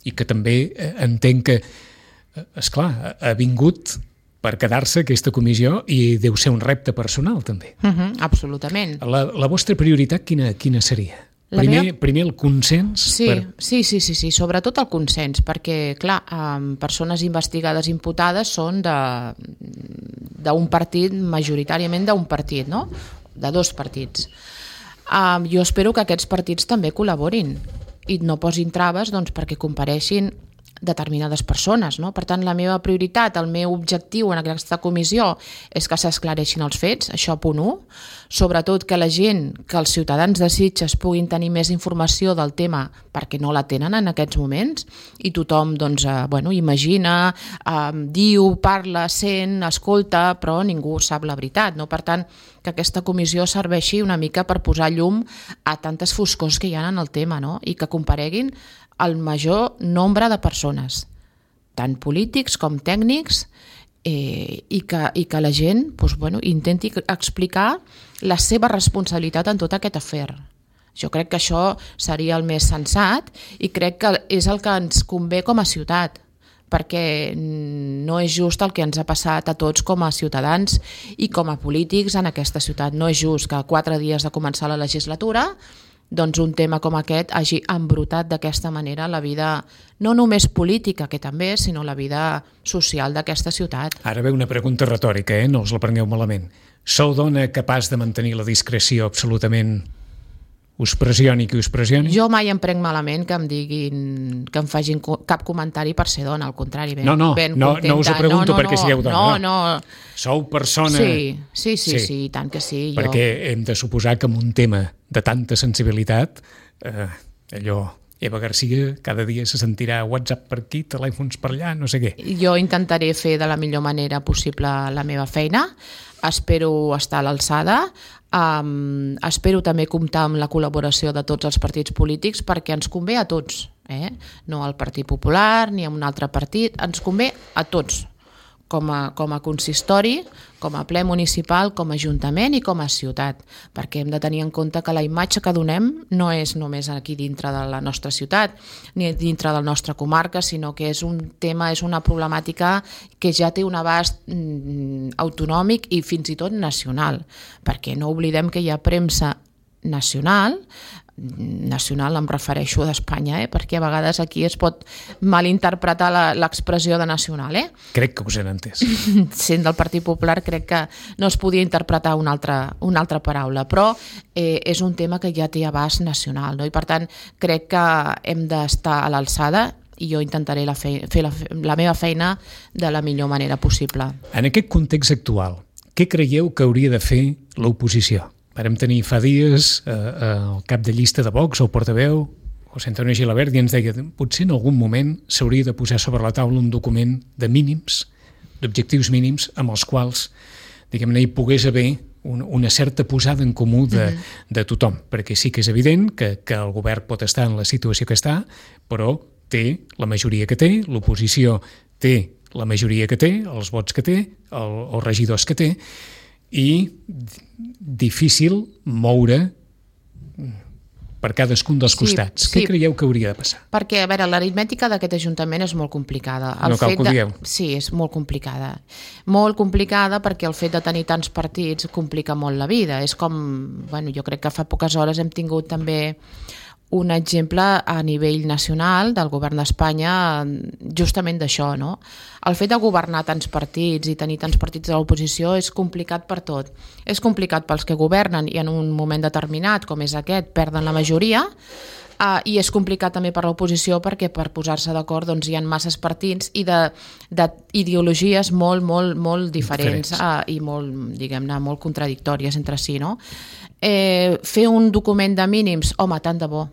[SPEAKER 2] i que també eh, entenc que, eh, esclar, ha vingut per quedar-se aquesta comissió i deu ser un repte personal, també.
[SPEAKER 3] Uh-huh, absolutament.
[SPEAKER 2] La, la vostra prioritat quina, quina seria? Primer, meva... primer el consens?
[SPEAKER 3] Sí,
[SPEAKER 2] per...
[SPEAKER 3] sí, sí, sí, sí, sobretot el consens, perquè, clar, um, persones investigades imputades són d'un partit, majoritàriament d'un partit, no?, de dos partits. Um, jo espero que aquests partits també col·laborin i no posin traves, doncs, perquè compareixin determinades persones, no? Per tant, la meva prioritat, el meu objectiu en aquesta comissió és que s'esclareixin els fets, això punt u, sobretot que la gent, que els ciutadans de Sitges puguin tenir més informació del tema perquè no la tenen en aquests moments i tothom, doncs, eh, bueno, imagina, eh, diu, parla, sent, escolta, però ningú sap la veritat, no? Per tant, que aquesta comissió serveixi una mica per posar llum a tantes foscors que hi ha en el tema, no? I que compareguin el major nombre de persones, tant polítics com tècnics, eh, i, que, i que la gent, doncs, bueno, intenti explicar la seva responsabilitat en tot aquest afer. Jo crec que això seria el més sensat i crec que és el que ens convé com a ciutat, perquè no és just el que ens ha passat a tots com a ciutadans i com a polítics en aquesta ciutat. No és just que a quatre dies de començar la legislatura doncs un tema com aquest hagi embrutat d'aquesta manera la vida, no només política, que també, sinó la vida social d'aquesta ciutat.
[SPEAKER 2] Ara ve una pregunta retòrica, eh? No us la prengueu malament. Sou dona capaç de mantenir la discreció absolutament... Us pressioni qui us pressioni?
[SPEAKER 3] Jo mai em prenc malament que em diguin, que em facin cap comentari per ser dona, al contrari, ben,
[SPEAKER 2] no, no,
[SPEAKER 3] ben
[SPEAKER 2] no,
[SPEAKER 3] contenta.
[SPEAKER 2] No us ho pregunto
[SPEAKER 3] no, no,
[SPEAKER 2] perquè sigueu dona.
[SPEAKER 3] No, no.
[SPEAKER 2] Sou persona...
[SPEAKER 3] Sí, sí, sí, sí, sí, tant que sí.
[SPEAKER 2] Perquè jo... hem de suposar que en un tema de tanta sensibilitat, eh, allò Eva Garcia cada dia se sentirà WhatsApp per aquí, telèfons per allà, no sé què.
[SPEAKER 3] Jo intentaré fer de la millor manera possible la meva feina, espero estar a l'alçada, um, espero també comptar amb la col·laboració de tots els partits polítics perquè ens convé a tots, eh? No al Partit Popular ni a un altre partit, ens convé a tots, com a, com a consistori, com a ple municipal, com a ajuntament i com a ciutat, perquè hem de tenir en compte que la imatge que donem no és només aquí dintre de la nostra ciutat ni dintre de la nostra comarca, sinó que és un tema, és una problemàtica que ja té un abast mm, autonòmic i fins i tot nacional, perquè no oblidem que hi ha premsa nacional, nacional em refereixo d'Espanya, eh? Perquè a vegades aquí es pot malinterpretar l'expressió de nacional. Eh?
[SPEAKER 2] Crec que us he entès.
[SPEAKER 3] Sent del Partit Popular crec que no es podia interpretar una altra, una altra paraula, però eh, és un tema que ja té abast nacional, no? I per tant crec que hem d'estar a l'alçada i jo intentaré la fe, fer la, la meva feina de la millor manera possible.
[SPEAKER 2] En aquest context actual, què creieu que hauria de fer l'oposició? Vàrem tenir fa dies eh, eh, el cap de llista de Vox, el portaveu, José Antonio Gilabert, i ens deia potser en algun moment s'hauria de posar sobre la taula un document de mínims, d'objectius mínims, amb els quals, diguem-ne, hi pogués haver un, una certa posada en comú de, mm-hmm. de tothom, perquè sí que és evident que, que el govern pot estar en la situació que està, però té la majoria que té, l'oposició té la majoria que té, els vots que té, el, els regidors que té, i difícil moure per cadascun dels costats. Sí, sí. Què creieu que hauria de passar?
[SPEAKER 3] Perquè, a veure, l'aritmètica d'aquest Ajuntament és molt complicada. El
[SPEAKER 2] no cal
[SPEAKER 3] fet
[SPEAKER 2] que ho dieu.
[SPEAKER 3] De... Sí, és molt complicada. Molt complicada perquè el fet de tenir tants partits complica molt la vida. És com, bueno, jo crec que fa poques hores hem tingut també un exemple a nivell nacional del govern d'Espanya justament d'això, no? El fet de governar tants partits i tenir tants partits de l'oposició és complicat per tot. És complicat pels que governen i en un moment determinat, com és aquest, perden la majoria, uh, i és complicat també per l'oposició perquè per posar-se d'acord doncs, hi ha masses partits i d'ideologies molt, molt, molt diferents, diferents. Uh, i molt, diguem-ne, molt contradictòries entre si, no? Eh, fer un document de mínims, home, tant de bo.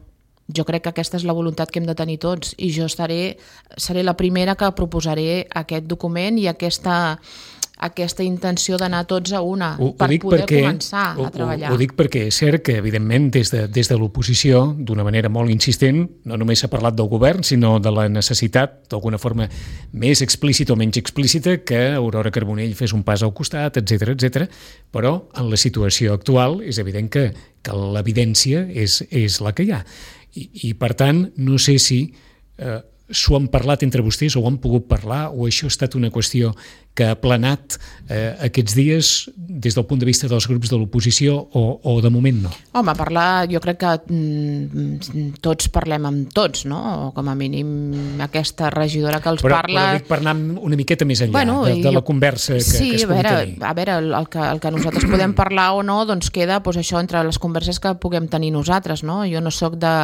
[SPEAKER 3] Jo crec que aquesta és la voluntat que hem de tenir tots i jo estaré, seré la primera que proposaré aquest document i aquesta, aquesta intenció d'anar tots a una
[SPEAKER 2] ho,
[SPEAKER 3] per
[SPEAKER 2] ho
[SPEAKER 3] poder
[SPEAKER 2] perquè,
[SPEAKER 3] començar
[SPEAKER 2] ho,
[SPEAKER 3] a treballar.
[SPEAKER 2] Ho, ho dic perquè és cert que, evidentment, des de, des de l'oposició, d'una manera molt insistent, no només s'ha parlat del govern, sinó de la necessitat, d'alguna forma més explícita o menys explícita, que Aurora Carbonell fes un pas al costat, etcètera, etcètera. Però en la situació actual és evident que, que l'evidència és, és la que hi ha. I, i per tant, no sé si eh, s'ho han parlat entre vostès o ho han pogut parlar o això ha estat una qüestió que ha planat eh, aquests dies des del punt de vista dels grups de l'oposició o, o de moment no?
[SPEAKER 3] Home, parlar, jo crec que mm, tots parlem amb tots, no? O com a mínim aquesta regidora que els
[SPEAKER 2] però,
[SPEAKER 3] parla...
[SPEAKER 2] Però dic per anar una miqueta més enllà
[SPEAKER 3] bueno,
[SPEAKER 2] de, de la
[SPEAKER 3] jo...
[SPEAKER 2] conversa que,
[SPEAKER 3] sí,
[SPEAKER 2] que es
[SPEAKER 3] pugui
[SPEAKER 2] veure,
[SPEAKER 3] tenir. Sí,
[SPEAKER 2] a
[SPEAKER 3] veure, el, el, que, el que nosaltres podem parlar o no, doncs queda doncs, això entre les converses que puguem tenir nosaltres, no? Jo no sóc de...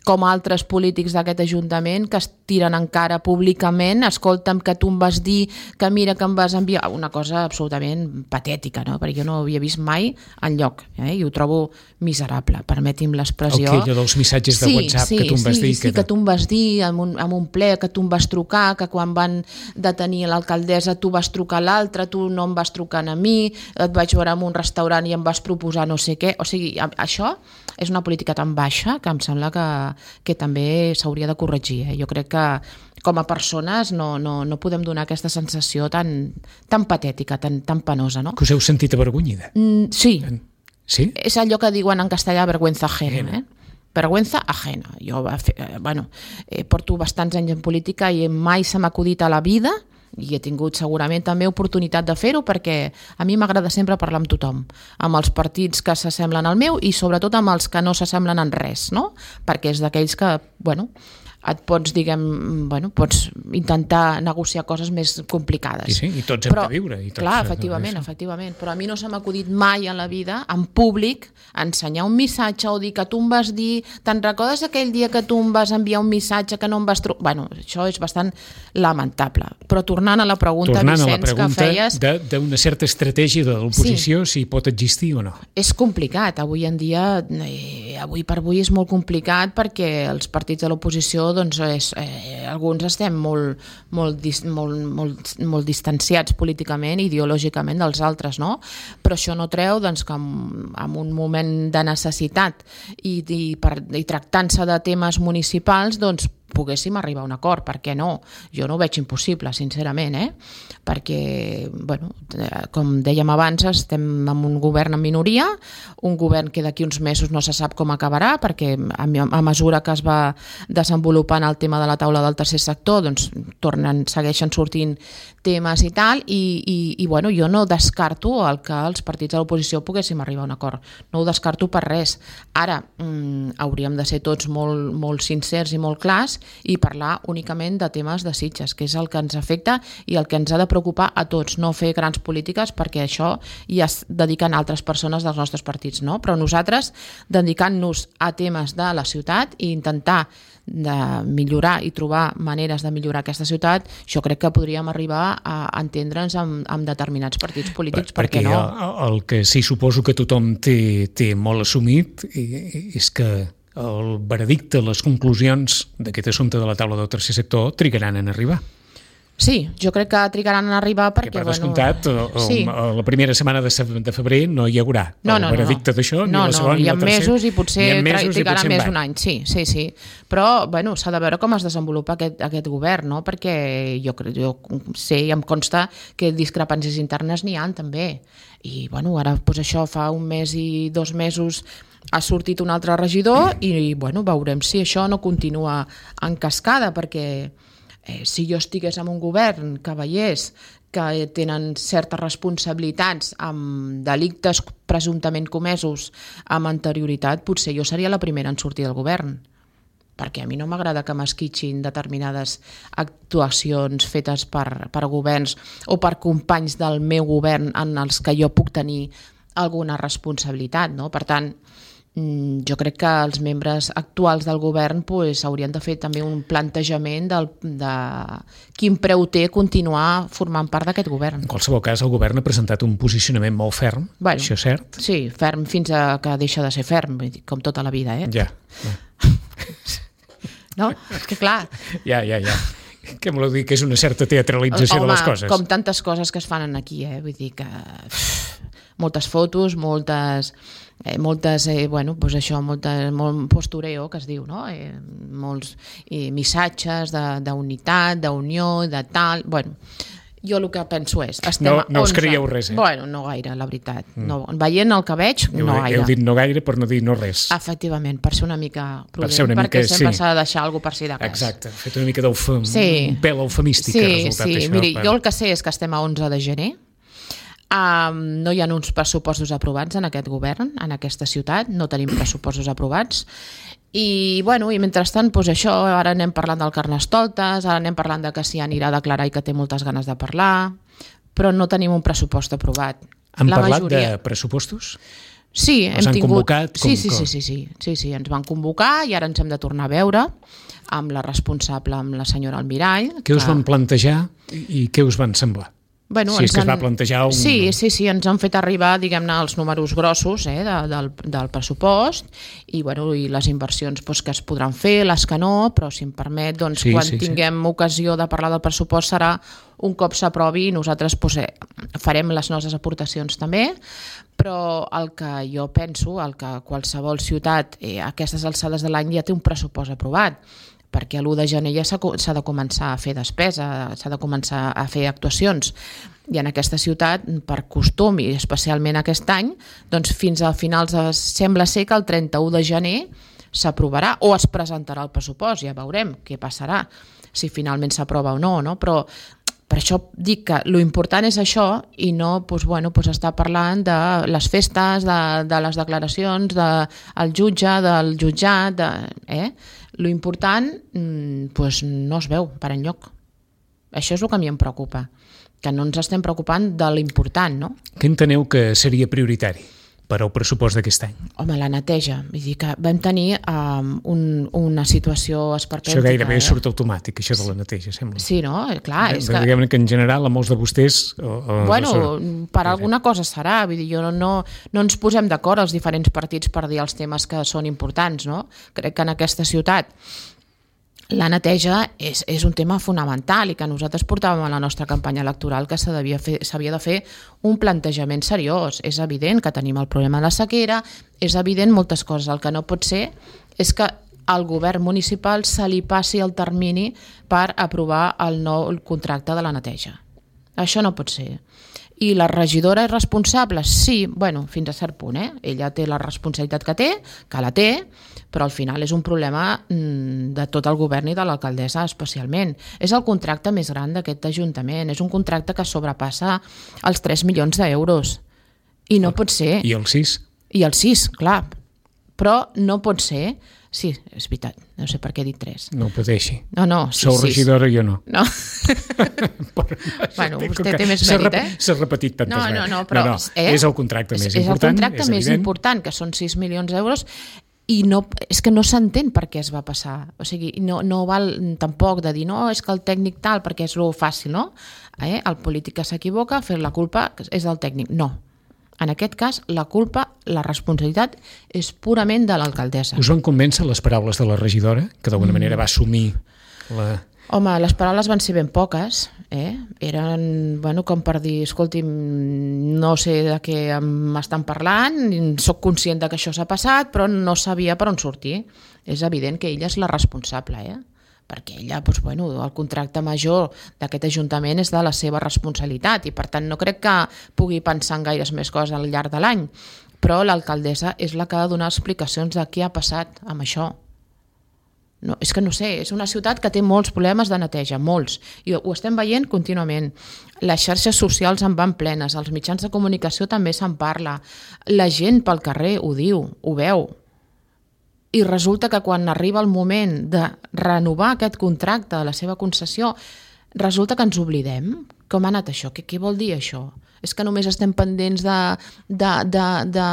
[SPEAKER 3] com altres polítics d'aquest Ajuntament que es tiren encara públicament, escolta'm que tu em vas dir que mira que em vas enviar, una cosa absolutament patètica, no? Perquè jo no ho havia vist mai enlloc, eh? I ho trobo miserable, permeti'm l'expressió.
[SPEAKER 2] El que allò dels missatges de
[SPEAKER 3] sí,
[SPEAKER 2] WhatsApp
[SPEAKER 3] sí,
[SPEAKER 2] que tu em vas
[SPEAKER 3] sí,
[SPEAKER 2] dir.
[SPEAKER 3] Sí, que, que tu em vas dir en un, en un ple, que tu em vas trucar, que quan van detenir l'alcaldessa tu vas trucar a l'altre, tu no em vas trucar a mi, et vaig veure en un restaurant i em vas proposar no sé què, o sigui, això és una política tan baixa que em sembla que que també s'hauria de corregir. Eh? Jo crec que com a persones no, no, no podem donar aquesta sensació tan, tan patètica, tan, tan penosa. No?
[SPEAKER 2] Que us heu sentit avergonyida?
[SPEAKER 3] Mm, sí.
[SPEAKER 2] Sí?
[SPEAKER 3] És allò que diuen en castellà vergüenza ajena. Eh? Vergüenza ajena. Jo eh, bueno, eh, porto bastants anys en política i mai se m'ha acudit a la vida i he tingut segurament també oportunitat de fer-ho perquè a mi m'agrada sempre parlar amb tothom, amb els partits que s'assemblen al meu i sobretot amb els que no s'assemblen en res, no? Perquè és d'aquells que, bueno, et pots, diguem, bueno, pots intentar negociar coses més complicades.
[SPEAKER 2] Sí, sí, i tots hem
[SPEAKER 3] però,
[SPEAKER 2] de viure. I tots,
[SPEAKER 3] clar, efectivament, no, efectivament, però a mi no se m'ha acudit mai en la vida, en públic, ensenyar un missatge o dir que tu em vas dir, te'n recordes aquell dia que tu em vas enviar un missatge que no em vas trucar? Bueno, això és bastant lamentable. Però tornant a la pregunta,
[SPEAKER 2] tornant
[SPEAKER 3] Vicenç,
[SPEAKER 2] a la pregunta
[SPEAKER 3] que feies...
[SPEAKER 2] d'una certa estratègia de l'oposició, sí. Si pot existir o no.
[SPEAKER 3] És complicat. Avui en dia eh, avui per avui és molt complicat perquè els partits de l'oposició, doncs, és, eh, alguns estem molt, molt, dis, molt, molt, molt distanciats políticament i ideològicament dels altres, no? Però això no treu, doncs, que en, en un moment de necessitat i, i, per, i tractant-se de temes municipals, doncs, poguéssim arribar a un acord, per què no? Jo no ho veig impossible, sincerament, eh? Perquè, bueno, com dèiem abans, estem en un govern en minoria, un govern que d'aquí uns mesos no se sap com acabarà, perquè a, a mesura que es va desenvolupant el tema de la taula del tercer sector, doncs tornen, segueixen sortint temes i tal, i, i, i bueno, jo no descarto el que els partits de l'oposició poguéssim arribar a un acord. No ho descarto per res. Ara, mm, hauríem de ser tots molt, molt sincers i molt clars i parlar únicament de temes de Sitges, que és el que ens afecta i el que ens ha de preocupar a tots, no fer grans polítiques perquè això ja es dediquen altres persones dels nostres partits, no? Però nosaltres, dedicant-nos a temes de la ciutat i intentar de millorar i trobar maneres de millorar aquesta ciutat, jo crec que podríem arribar a entendre'ns amb, amb determinats partits polítics, per, perquè, perquè no?
[SPEAKER 2] El, el que sí suposo que tothom té, té molt assumit és que el veredicte, les conclusions d'aquest assumpte de la taula del tercer sector trigaran en arribar.
[SPEAKER 3] Sí, jo crec que trigaran en arribar perquè...
[SPEAKER 2] Que per
[SPEAKER 3] bueno,
[SPEAKER 2] descomptat, sí. la primera setmana de febrer no hi haurà
[SPEAKER 3] no,
[SPEAKER 2] el
[SPEAKER 3] no,
[SPEAKER 2] veredicte
[SPEAKER 3] no.
[SPEAKER 2] d'això,
[SPEAKER 3] no,
[SPEAKER 2] ni la segona
[SPEAKER 3] no,
[SPEAKER 2] ni la tercera.
[SPEAKER 3] Mesos i potser,
[SPEAKER 2] mesos
[SPEAKER 3] trigarà
[SPEAKER 2] i potser
[SPEAKER 3] més d'un any, sí, sí, sí. Però, bueno, s'ha de veure com es desenvolupa aquest, aquest govern, no? Perquè jo, jo sé i em consta que discrepàncies internes n'hi ha també. I, bueno, ara, doncs això, fa un mes i dos mesos ha sortit un altre regidor i, bueno, veurem si això no continua en cascada, perquè eh, si jo estigués en un govern que veiés que tenen certes responsabilitats amb delictes presumptament comesos amb anterioritat, potser jo seria la primera en sortir del govern, perquè a mi no m'agrada que m'esquitxin determinades actuacions fetes per, per governs o per companys del meu govern en els que jo puc tenir alguna responsabilitat, no? Per tant, jo crec que els membres actuals del govern pues, haurien de fer també un plantejament del, de quin preu té continuar formant part d'aquest govern.
[SPEAKER 2] En qualsevol cas, el govern ha presentat un posicionament molt ferm, bueno, això és cert?
[SPEAKER 3] Sí, ferm fins a que deixa de ser ferm, com tota la vida, eh?
[SPEAKER 2] Ja.
[SPEAKER 3] No? És que clar...
[SPEAKER 2] Ja, ja, ja. Què voleu dir? Que és una certa teatralització
[SPEAKER 3] Home,
[SPEAKER 2] de les coses?
[SPEAKER 3] Com tantes coses que es fan aquí, eh? Vull dir que... Uf, moltes fotos, moltes... Eh, moltes, eh, bueno, pues això, moltes, molt postureo, que es diu, no? Eh, molts eh, missatges d'unitat, d'unió, de tal... Bueno, jo el que penso és... Estem
[SPEAKER 2] no no us
[SPEAKER 3] onze.
[SPEAKER 2] creieu res, eh?
[SPEAKER 3] Bueno, no gaire, la veritat. Mm. No, veient el que veig,
[SPEAKER 2] heu,
[SPEAKER 3] no gaire.
[SPEAKER 2] Heu dit no gaire per no dir no res.
[SPEAKER 3] Efectivament, per ser una mica prudent,
[SPEAKER 2] per ser una
[SPEAKER 3] perquè
[SPEAKER 2] mica,
[SPEAKER 3] sempre
[SPEAKER 2] sí.
[SPEAKER 3] s'ha de deixar alguna per si de res.
[SPEAKER 2] Exacte, fet una mica d'eufem,
[SPEAKER 3] sí.
[SPEAKER 2] un pèl eufemístic
[SPEAKER 3] sí,
[SPEAKER 2] ha resultat
[SPEAKER 3] sí.
[SPEAKER 2] això.
[SPEAKER 3] Miri,
[SPEAKER 2] per...
[SPEAKER 3] jo el que sé és que estem a onze de gener, um, no hi ha uns pressupostos aprovats en aquest govern, en aquesta ciutat, no tenim pressupostos aprovats, i, bueno, i mentrestant, doncs això, ara anem parlant del Carnestoltes, ara anem parlant de que s'hi anirà a declarar i que té moltes ganes de parlar, però no tenim un pressupost aprovat.
[SPEAKER 2] Han
[SPEAKER 3] La
[SPEAKER 2] parlat
[SPEAKER 3] majoria...
[SPEAKER 2] de pressupostos?
[SPEAKER 3] Sí, hem
[SPEAKER 2] han
[SPEAKER 3] tingut...
[SPEAKER 2] convocat? Com,
[SPEAKER 3] sí, sí, sí, sí, sí, sí, sí, ens van convocar i ara ens hem de tornar a veure amb la responsable, amb la senyora Almirall.
[SPEAKER 2] Què
[SPEAKER 3] que...
[SPEAKER 2] us van plantejar i què us van semblar?
[SPEAKER 3] Bueno,
[SPEAKER 2] si és que
[SPEAKER 3] han...
[SPEAKER 2] es va plantejar un...
[SPEAKER 3] Sí, sí, sí, ens han fet arribar, diguem-ne, els números grossos eh, de, del, del pressupost i, bueno, i les inversions doncs, que es podran fer, les que no, però si em permet, doncs,
[SPEAKER 2] sí,
[SPEAKER 3] quan
[SPEAKER 2] sí,
[SPEAKER 3] tinguem sí. ocasió de parlar del pressupost serà un cop s'aprovi i nosaltres doncs, eh, farem les nostres aportacions també, però el que jo penso, el que qualsevol ciutat eh, a aquestes alçades de l'any ja té un pressupost aprovat, perquè l'u de gener ja s'ha de començar a fer despesa, s'ha de començar a fer actuacions. I en aquesta ciutat, per costum, i especialment aquest any, doncs fins a finals, de, sembla ser que el trenta-u de gener s'aprovarà o es presentarà el pressupost, ja veurem què passarà, si finalment s'aprova o no, no? Però per això dic que l'important és això i no doncs, bueno, doncs estar parlant de les festes, de, de les declaracions, del jutge, del jutjat, de, eh? L'important doncs, no es veu per enlloc. Això és el que a mi em preocupa, que no ens estem preocupant de l'important, no?
[SPEAKER 2] Què enteneu que seria prioritari? per al pressupost d'aquest any?
[SPEAKER 3] Home, la neteja. Vull dir que vam tenir um, un, una situació esperpèntica.
[SPEAKER 2] Això gairebé
[SPEAKER 3] eh?
[SPEAKER 2] surt automàtic, això de la neteja, sembla.
[SPEAKER 3] Sí, no? Clar, és que...
[SPEAKER 2] Diguem que en general a molts de vostès... O, o
[SPEAKER 3] bueno,
[SPEAKER 2] no
[SPEAKER 3] per alguna cosa serà. Vull dir, jo no, no, no ens posem d'acord els diferents partits per dir els temes que són importants, no? Crec que en aquesta ciutat la neteja és, és un tema fonamental i que nosaltres portàvem a la nostra campanya electoral que s'havia de fer un plantejament seriós. És evident que tenim el problema de la sequera, és evident moltes coses. El que no pot ser és que al govern municipal se li passi el termini per aprovar el nou contracte de la neteja. Això no pot ser. I la regidora és responsable? Sí, bueno, fins a cert punt, eh? Ella té la responsabilitat que té, que la té, però al final és un problema de tot el govern i de l'alcaldessa especialment. És el contracte més gran d'aquest ajuntament, és un contracte que sobrepassa els tres milions d'euros. I no pot ser...
[SPEAKER 2] I els sis?
[SPEAKER 3] I els sis, clar. Però no pot ser... Sí, és veritat, no sé per què he dit tres.
[SPEAKER 2] No ho pateixi.
[SPEAKER 3] No, no, sí,
[SPEAKER 2] Sou
[SPEAKER 3] sis.
[SPEAKER 2] regidora i jo no.
[SPEAKER 3] No. Bueno, vostè té més mèrit, eh?
[SPEAKER 2] S'ha repetit tantes
[SPEAKER 3] no,
[SPEAKER 2] vegades.
[SPEAKER 3] No, no, però...
[SPEAKER 2] No, no,
[SPEAKER 3] eh?
[SPEAKER 2] és el contracte més
[SPEAKER 3] és,
[SPEAKER 2] important,
[SPEAKER 3] és el contracte
[SPEAKER 2] és
[SPEAKER 3] més
[SPEAKER 2] evident.
[SPEAKER 3] important, que són sis milions d'euros, i no, és que no s'entén per què es va passar. O sigui, no, no val tampoc de dir, no, és que el tècnic tal, perquè és lo fàcil, no? Eh? El polític que s'equivoca, fer la culpa és del tècnic. No. En aquest cas, la culpa, la responsabilitat és purament de l'alcaldessa.
[SPEAKER 2] Us van convèncer les paraules de la regidora, que d'alguna mm. manera va assumir la...
[SPEAKER 3] Home, les paraules van ser ben poques, eh? Eren, bueno, com per dir, escolti'm, no sé de què m'estan parlant, soc conscient de que això s'ha passat, però no sabia per on sortir. És evident que ella és la responsable, eh? Perquè ella, doncs, bueno, el contracte major d'aquest ajuntament és de la seva responsabilitat i per tant no crec que pugui pensar en gaires més coses al llarg de l'any, però l'alcaldessa és la que ha de donar explicacions de què ha passat amb això. No, és que no sé, és una ciutat que té molts problemes de neteja, molts, i ho estem veient contínuament. Les xarxes socials en van plenes, els mitjans de comunicació també se'n parla, la gent pel carrer ho diu, ho veu. I resulta que quan arriba el moment de renovar aquest contracte de la seva concessió, resulta que ens oblidem. Com ha anat això? Què, què vol dir això? És que només estem pendents de, de, de, de,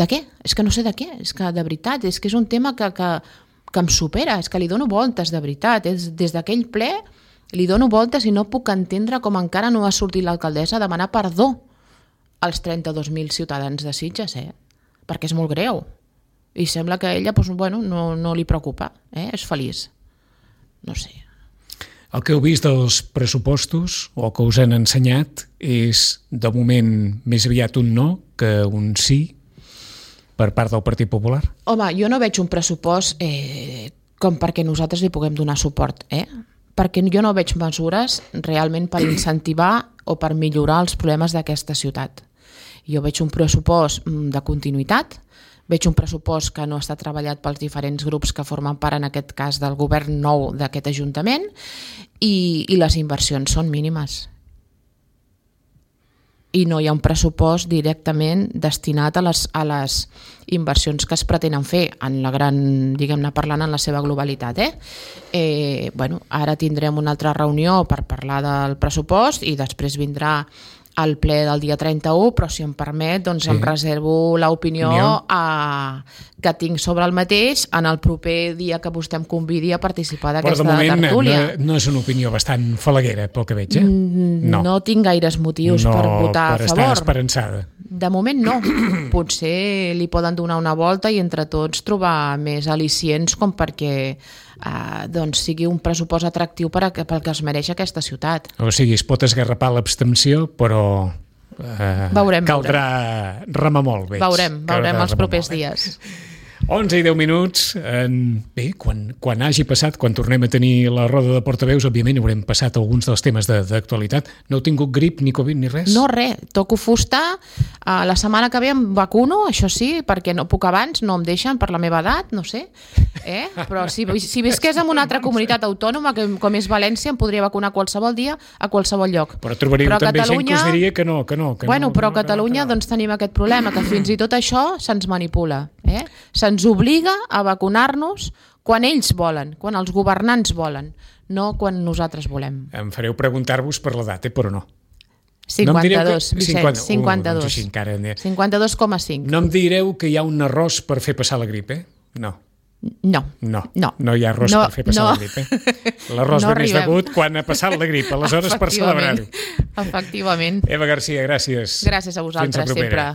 [SPEAKER 3] de què? És que no sé de què, és que de veritat, és que és un tema que, que, que em supera, és que li dono voltes de veritat. És, des d'aquell ple li dono voltes i no puc entendre com encara no ha sortit l'alcaldessa a demanar perdó als trenta-dos mil ciutadans de Sitges, eh? Perquè és molt greu. I sembla que a ella doncs, bueno, no, no li preocupa, eh? És feliç. No sé.
[SPEAKER 2] El que heu vist dels pressupostos o el que us han ensenyat és, de moment, més aviat un no que un sí per part del Partit Popular?
[SPEAKER 3] Home, jo no veig un pressupost eh, com perquè nosaltres li puguem donar suport, eh? Perquè jo no veig mesures realment per incentivar o per millorar els problemes d'aquesta ciutat. Jo veig un pressupost de continuïtat, veig un pressupost que no està treballat pels diferents grups que formen part, en aquest cas, del govern nou d'aquest Ajuntament, i, i les inversions són mínimes. I no hi ha un pressupost directament destinat a les, a les inversions que es pretenen fer, en la gran, diguem-ne, parlant en la seva globalitat. Eh? Eh, bueno, ara tindrem una altra reunió per parlar del pressupost i després vindrà al ple del dia trenta-u, però si em permet, doncs sí. Em reservo l'opinió a... que tinc sobre el mateix en el proper dia que vostè em convidi a participar d'aquesta tertúlia.
[SPEAKER 2] Però de moment no, no és una opinió bastant falaguera, pel que veig, eh?
[SPEAKER 3] No, no tinc gaires motius
[SPEAKER 2] no,
[SPEAKER 3] per votar
[SPEAKER 2] per
[SPEAKER 3] a favor.
[SPEAKER 2] Estar esperançada.
[SPEAKER 3] De moment no. Potser li poden donar una volta i entre tots trobar més al·licients com perquè eh, doncs sigui un pressupost atractiu per a, pel que es mereix aquesta ciutat.
[SPEAKER 2] O sigui, es pot esgarrapar l'abstenció, però eh,
[SPEAKER 3] veurem,
[SPEAKER 2] caldrà
[SPEAKER 3] veurem.
[SPEAKER 2] remar molt. Veig.
[SPEAKER 3] Veurem, veurem els propers
[SPEAKER 2] molt,
[SPEAKER 3] dies.
[SPEAKER 2] onze i deu minuts. En... Bé, quan, quan hagi passat, quan tornem a tenir la roda de portaveus, òbviament haurem passat alguns dels temes d'actualitat. No heu tingut grip, ni Covid, ni res?
[SPEAKER 3] No, res. Toco fusta. Uh, la setmana que ve em vacuno, això sí, perquè no puc abans, no em deixen per la meva edat, no sé. Eh? Però si, si visqués en una altra comunitat autònoma, que, com és València, em podria vacunar qualsevol dia a qualsevol lloc.
[SPEAKER 2] Però trobaríeu però també Catalunya... gent que us diria que no, que no. Que
[SPEAKER 3] bueno,
[SPEAKER 2] no,
[SPEAKER 3] però a
[SPEAKER 2] no,
[SPEAKER 3] Catalunya
[SPEAKER 2] que no.
[SPEAKER 3] doncs tenim aquest problema, que fins i tot això se'ns manipula. Eh? Se'ns obliga a vacunar-nos quan ells volen, quan els governants volen, no quan nosaltres volem.
[SPEAKER 2] Em fareu preguntar-vos per l'edat, eh? Però no.
[SPEAKER 3] cinquanta-dos,
[SPEAKER 2] no
[SPEAKER 3] Vicenç,
[SPEAKER 2] cinquanta,
[SPEAKER 3] cinquanta-dos.
[SPEAKER 2] Uh, doncs així encara...
[SPEAKER 3] cinquanta-dos coma cinc.
[SPEAKER 2] No em direu que hi ha un arròs per fer passar la grip, eh? No.
[SPEAKER 3] No.
[SPEAKER 2] No,
[SPEAKER 3] no,
[SPEAKER 2] no hi ha arròs
[SPEAKER 3] no,
[SPEAKER 2] per fer passar
[SPEAKER 3] no.
[SPEAKER 2] la grip. Eh? L'arròs
[SPEAKER 3] no
[SPEAKER 2] ve més degut quan ha passat la grip, aleshores per celebrar-ho.
[SPEAKER 3] Efectivament.
[SPEAKER 2] Eva Garcia, gràcies.
[SPEAKER 3] Gràcies a vosaltres, sempre.